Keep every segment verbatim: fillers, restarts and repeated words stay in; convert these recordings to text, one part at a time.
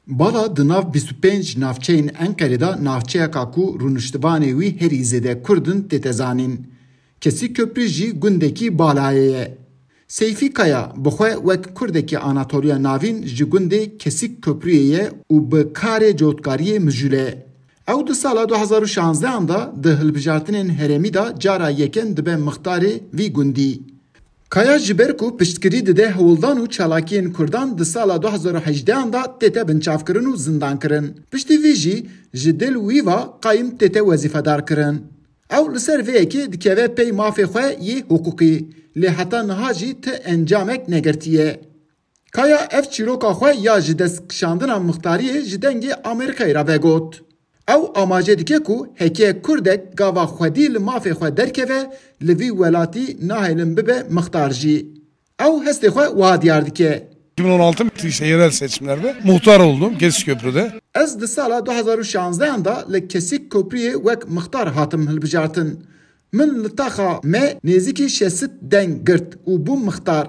Bala di nav bîst û pênc navçeyên Enqerê de navçeyeka ku rûniştivanê wî herî zêde Kurd in tête zanîn. Kesî Köprü jî gundekî Balayê ye. Seyfî Kaya bi xwe wek Kurdekî Anatoliya Navîn ji gundê Kesîk Köprüyê ye û bi karê cotkariyê mijûl e. Ew di sala du hezar û şanzdehan de di hilbijartinên herêmî de cara yekem dibe mixtarê vî gundî. Kaya ji ber ku piştgirî dide hewldan û çalakiyên Kurdan di sala du hezar û hejdehan de tête binçavkirin û zindankirin. Piştî vî jî ji dil wî ve qayim tête wezîfedarkirin. Ew li ser vê yekê dikeve pey mafê xwe yê hiqûqî, lê heta niha jî ti encamek negirtiye. Kaya ev çîroka xwe ya ji dest kişandina mixtariyê ji Dengê Amerîkayê re vegot. Ew amaje dike ku heke Kurdek gava xwedî li mafê xwe derkeve, li vî welatî nahêlin bibe mixtar jî. Ew hestê xwe wiha diyar dike. iki bin on altı işte yerel seçimlerde muhtar oldum Kesikköprü'de. Ez di sala du hezar û şanzdehan de li Kesîk Kopriyê wek mixtar hatim hilbijartin. Min li taxa me nêzîkî şesit deng girt û bûm mixtar.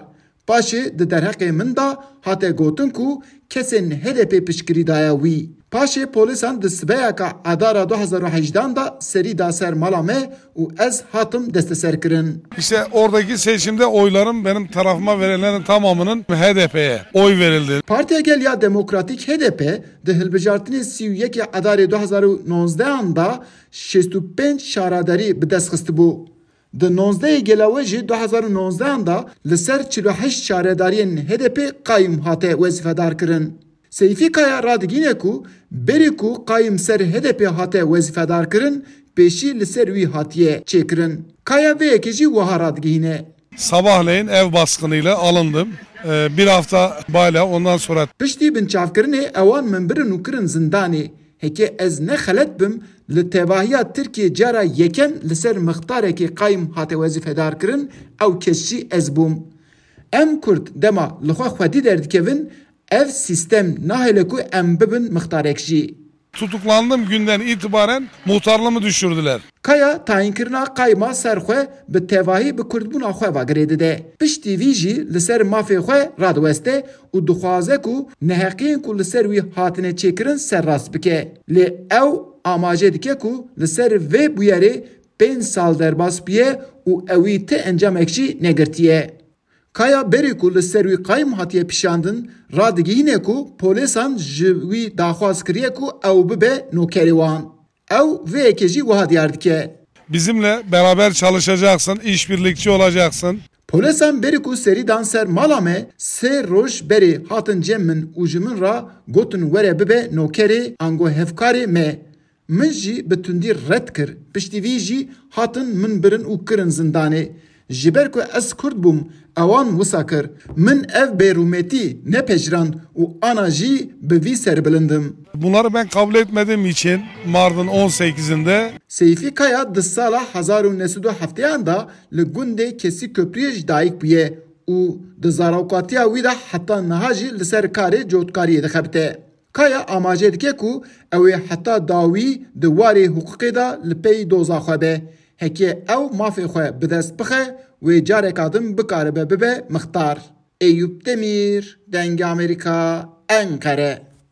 Paşê di derheqê min de hate gotin ku kesên H D P piştgirî daye wî. Paşê polîsan di sibeyeka Adara du hezar û hejdehan de serî da ser mala me û ez hatim desteserkirin. İşte oradaki seçimde oyların benim tarafıma verenlerin tamamının H D P'ye oy verildi. Partiya Gel ya Demokratîk H D P di hilbijartinê sî û yekê Adarê du hezar û nozdehan de şêst û pênc şaredarî bi dest xistibû. Di nozdehê Gelawêjê du hezar û nozdehan de li ser çil û heşt şaredariyên H D P qayim hate wezîfedarkirin. Seyfî Kaya radigihîne ku berî ku qayim ser H D P hate wezîfedarkirin, pêşî li ser wî hatiye çêkirin. Kaya vê yekê jî wiha radigihîne. Sabahleyin ev baskınıyla alındım. Ee, bir hafta bayla ondan sonra Piştî binçavkirinê ewan min birin û kirin zindanê. Heke ez ne xelet bim, li tevahiya Tirkiyê cara yekem li ser mixtarekî qayim hate wezîfedarkirin, ew kes jî ez bûm. Em Kurd dema li xwe xwedî derdikevin, ev sîstem nahêle ku em bibin mixtarek jî. Tutuklandığım günden itibaren muhtarlığımı düşürdüler. Kaya tayînkirina qayma ser xwe bi tevahî bi kurdbûna xwe ve girê dide. Piştî vî jî li ser mafê xwe radiweste û dixwaze ku neheqiyên ku li ser wî hatine çêkirin serrast bike. Lê ew amaje dike ku li ser vê bûyerê pênc sal derbas bûye û ewî ti encamek jî negirtiye. Kaya berî ku li ser wî qayim hatiye pişandin, radigihîne ku polêsan ji wî daxwaz kiriye ku ew bibe nokerê wan. Ew vê yekê jî wiha diyar dike. Bizimle beraber çalışacaksın, işbirlikçi olacaksın. Polêsan berî ku serî dan ser mala me, sê roj berê hatin cem min û ji min re gotin were bibe nokerê ango hevkarê me. Min jî bi tundî red kir. Piştî vî jî hatin min birin û kirin zindanê. Ji ber ku ez Kurd bûm, ewan wisa kir. Min ev bêrûmetî nepejirand û ana jî bi vî serbilind im. Bunları ben kabul etmediğim için Mart'ın on sekizinde Seyfî Kaya di sala hezar û neh sed û hefteyan de li gundê Kesî Köprüyê ji dayik bûye û di zarokatiya wî de heta niha jî li ser karê cotkariyê dixebite. Kaya amaje dike ku ew ê heta dawî di warê hiqûqê de li pey doza xwe be. Heke ew mafê xwe bi dest bixe, wê careka din bikaribe bibe mixtar. Eyûp Demîr, Dengê Amerîka, Enqere.